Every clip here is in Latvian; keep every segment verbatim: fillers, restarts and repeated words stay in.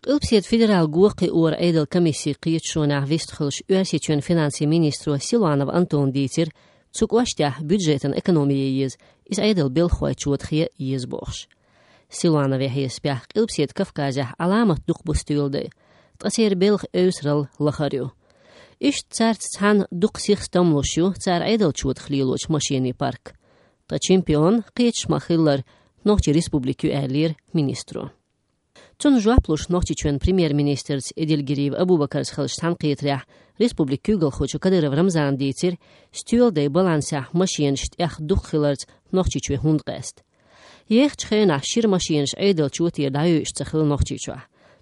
Qilpsiet federal guoqi or eidel komissie qiet shonach vistchulsh uersitjön finansie ministro Siluanov Anton Dieter zuk washtah budgeten ekonomie is is eidel bilchoi chutchie is boch. Siluanov he spiach qilpsiet Kafkazah alamat duqbustulde. Tqasir bilch eusral lacharju. Ish tsart tsan duq sich stamloshu tsar eidel chutchliloch machini park. Ta champion qiet shmachiller nochi respubliku elir ministro. Tun joaplush nochtitjön premier-ministers Edilgiriv Abubakars xalsh tanqiyatreah Republik Kugel xochu Kadyrov Ramzan Dieter stüelde balansah machiensht ech duchilert nochtitjö hundrest. Jech tschena shir machiens edel chutir dayush tsakhil nochtitjö.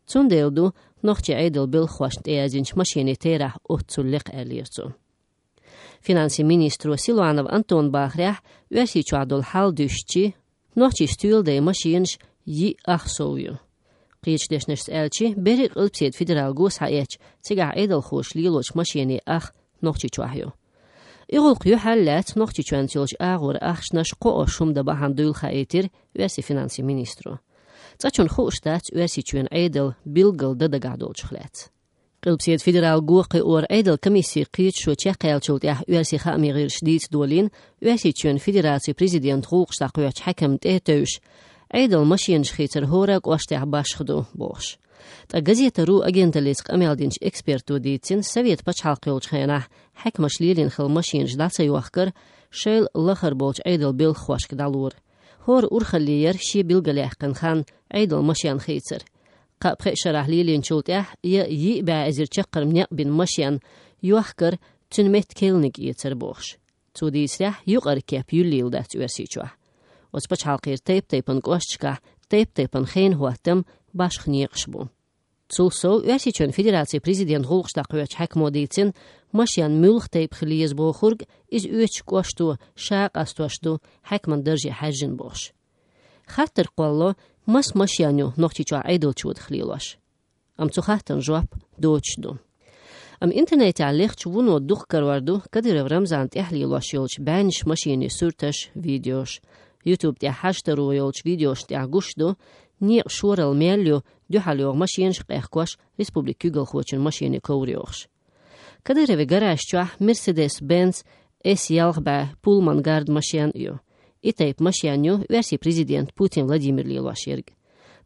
Tun deeldu nochtje edel bil khwasht eazinch machine terah otsulliq elirtu. Finansie-ministro Siluanov Anton Bachreah uersi chuadol haldushchi nochtji stüelde machiens yi achsovju. Qietsdesners elchi beri qilpsiet federal gos haech tsiga edel khosh liloch machine ach nochtji chwahyo. Igul qyu hallat nochtji chwantilch agor achshnash qo shumda bahandul khaetir uersi finansie ministro. Tsachun khostat uersi chwen edel bilgel dadagadol chkhlat. Qilpsiet federal goqi or edel komissie qiet sho chaqelchult ya uersi khamir shdit dolin uersi chwen federatie president ruqsta qoch hakemt eteush Eidel machine schieter horak oasteh bashkhdu bosh. Ta gazeta ru agentalisk ameldinch expertu ditin sovet pachalqyolch khana hakmash lilin khil machine jdatsa yoxkar shel lakhar bolch eidel bil khwashk dalur. Hor urkhaliyer shi bilgalahqan khan eidel machine khitser. Qa pressharah lilin chultah ya yi ba azir chaqar mnya bin machine yoxkar tunmet kelnik yetser bosh. Tudisrah yuqar kep yulildat uersichwa. Os pachalqir tape tapen qoshchka tape tapen geen huatem bashkhniqshbu. Tsulso uersichön federatie president holqstaqöch hakmoditin machyan mulch tape khlies bokhurg is uech qoshtu shaq astoshtu hakman derje hajin bosh. Khater qallo mas machyanyo noqticha aidolchud khlilash. Am tsukhatan jwap dochdu. Am internet allicht wuno dukhkarwardu Kadyrov Ramzan tehlilash yolch banish machine surtash videos. YouTube te hashtaru yolch videos te gushdo ni shoral melio du halio machine shqeqwash Republik Kugel khochin machine kovriox. Kadyrov garashcha Mercedes-Benz S yalgba Pullman Guard machine yo. Itayp machine versi prezident Putin Vladimir Lilashirg.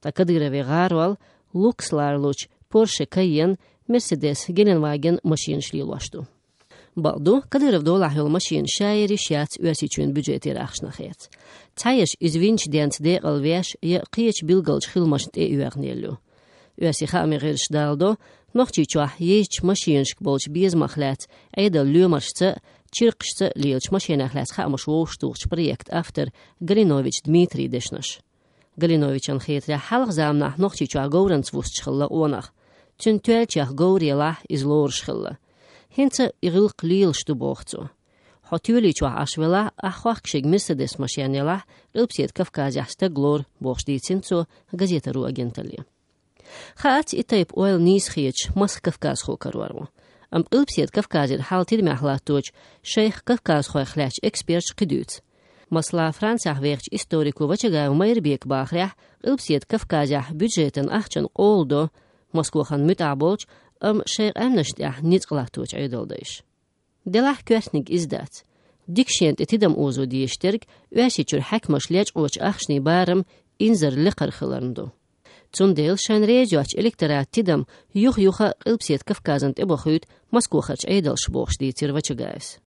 Ta Kadyrov garwal Luxlarluch Porsche Cayenne Mercedes Gelenwagen machine shlilashtu. Baldu Kadyrov dolahol machine shayri shat uersichün budgeti rakhshnakhet. Tayesh izvinch dent de alvesh ye qiech bilgalch khilmasht e uernelu. Uersi khamirish daldo nochchi chwa yech machinsk bolch bizmachlat eidel lumarshte chirqshte lielch machinachlat khamosh woshtuch projekt after Galinovich Dmitri Deshnash. Galinovich an khetra halgzamna nochchi chwa gourens wustchilla onach. Tun twelchach gouriela is lorschilla. Hinze iril qlil shtu bochtso. Hatuli chwa ashvela akhwaqshig Mercedes machinela qilpsiet Kafkazahsta glor boxhditsinso gazeta ru agentali. Khat itayp oil nis khich mas Kafkaz khokarwaru. Am qilpsiet Kafkazir haltir mahlatoch Sheikh Kafkaz khoykhlach expert qidut. Masla Fransa verch historiku vachaga Meirbek bakhra qilpsiet Kafkazah budgeten achchan oldo Moskvahan mutabolch am Sheikh amnasht ah nitqlatoch aydoldish. Delah kwasnik izdat. Dikshent etidam ozo diyeshterg uasichur hakmash lech och achshni baram inzer liqar khilarndo. Tsundel shan rejoch elektorat tidam yuh yuha qilpsiet Kafkazant ebokhut Moskvachach aydol shbokhsh ditir vachagas.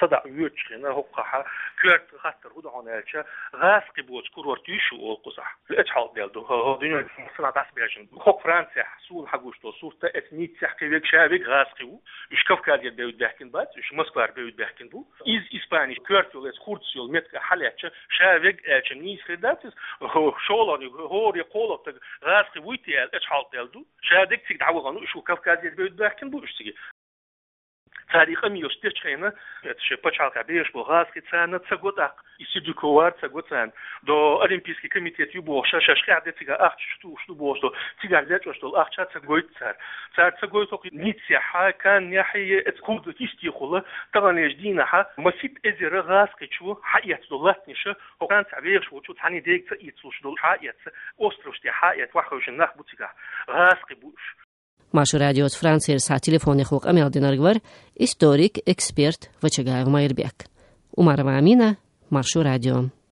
صدع يوتشخنا هقها كرت خاطر هو دهون الشا غاس قبوت كورور تيشو أو قصح الأجحال ديالدو هو دنيا مصنع داس بيجن خو فرنسا حصول حقوشتو صورته إثنيت سحقي بيك شابك غاس قبو إيش كفكار ديال بيود بحكين بات إيش مسكار بيود بحكين بو إز إسباني كرت ولا خورتسيول متك حلاتش شابك أشنيس خداتس هو شولاني هو يقول تك غاس قبوتي الأجحال ديالدو شابك تك دعوة غنو إيش كفكار ديال بيود بحكين بو إيش تيجي تاريخ أمي يستشخينا شبتشالك بيش بغازكي تسانا تسقوطاق يسيدو كوار تسقوطان دو أولمبيسكي كوميتيت يبو شاشا شخيعدة تيغا أخت شتو شتو بوشتو تيغا ليت وشتو الأخت شات تسقويت تسار تسار تسقويتو نيتسيحا كان يحيي تكود تيستيخولا طبعا يجدينا حا مسيب إزير غازكي شو حقيت دولاتنيشا وكان تعبير شو شو تحاني ديك تأيت وش دول حقيت أوستروشتي حقيت وحوش النخ بوتيغا غازكي بوش Машу радиот Францер са телефони хук амел динаргвар, историк, эксперт, вачагай в Майербек. Умарова Амина, Машу радио.